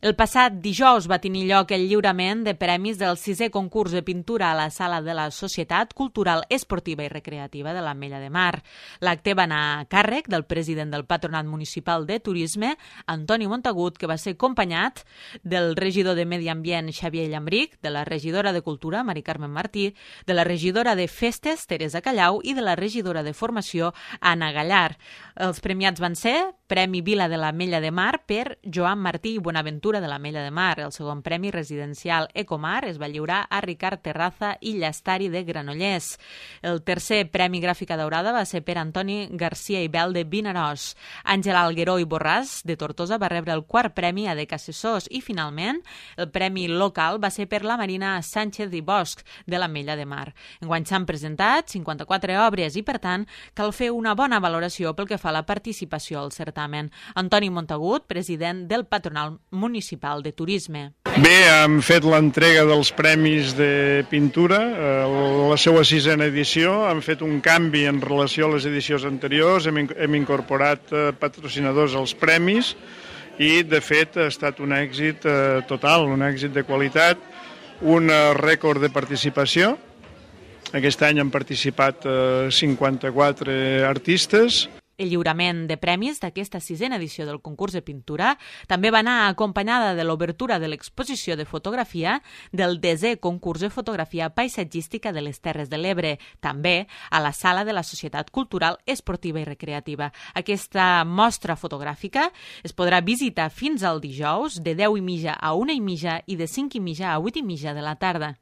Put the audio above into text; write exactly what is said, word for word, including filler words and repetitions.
El passat dijous va tenir lloc el lliurament de premis del sisè concurs de pintura a la Sala de la Societat Cultural, Esportiva i Recreativa de l'Ametlla de Mar. L'acte va anar a càrrec del president del Patronat Municipal de Turisme, Antoni Montagut, que va ser acompanyat del regidor de Medi Ambient, Xavier Llambric, de la regidora de Cultura, Mari Carmen Martí, de la regidora de Festes, Teresa Callau, i de la regidora de Formació, Anna Gallar. Els premiats van ser Premi Vila de l'Ametlla de Mar per Joan Martí i Bonaventura de l'Ametlla de Mar. El segon premi residencial Ecomar es va lliurar a Ricard Terraza i Llastari de Granollers. El tercer premi Gràfica Daurada va ser per Antoni Garcia i Bel de Vinaròs. Àngel Algueró i Borràs de Tortosa va rebre el quart premi a Decassessors i finalment el premi local va ser per la Marina Sánchez i Bosch de l'Ametlla de Mar. Enguany s'han presentat cinquanta-quatre obres i per tant cal fer una bona valoració pel que fa a la participació al certamen. Antoni Montagut, president del Patronat Municipal de Turisme. Bé, hem fet l'entrega dels premis de pintura, la seva sisena edició. Hem fet un canvi en relació a les edicions anteriors, hem, hem incorporat patrocinadors als premis i, de fet, ha estat un èxit total, un èxit de qualitat, un rècord de participació. Aquest any han participat cinquanta-quatre artistes. El lliurament de premis d'aquesta sisena edició del concurs de pintura també va anar acompanyada de l'obertura de l'exposició de fotografia del desè concurs de fotografia paisatgística de les Terres de l'Ebre, també a la Sala de la Societat Cultural, Esportiva i Recreativa. Aquesta mostra fotogràfica es podrà visitar fins al dijous de deu i mitja a una i mitja i de cinc i mitja a vuit i mitja de la tarda.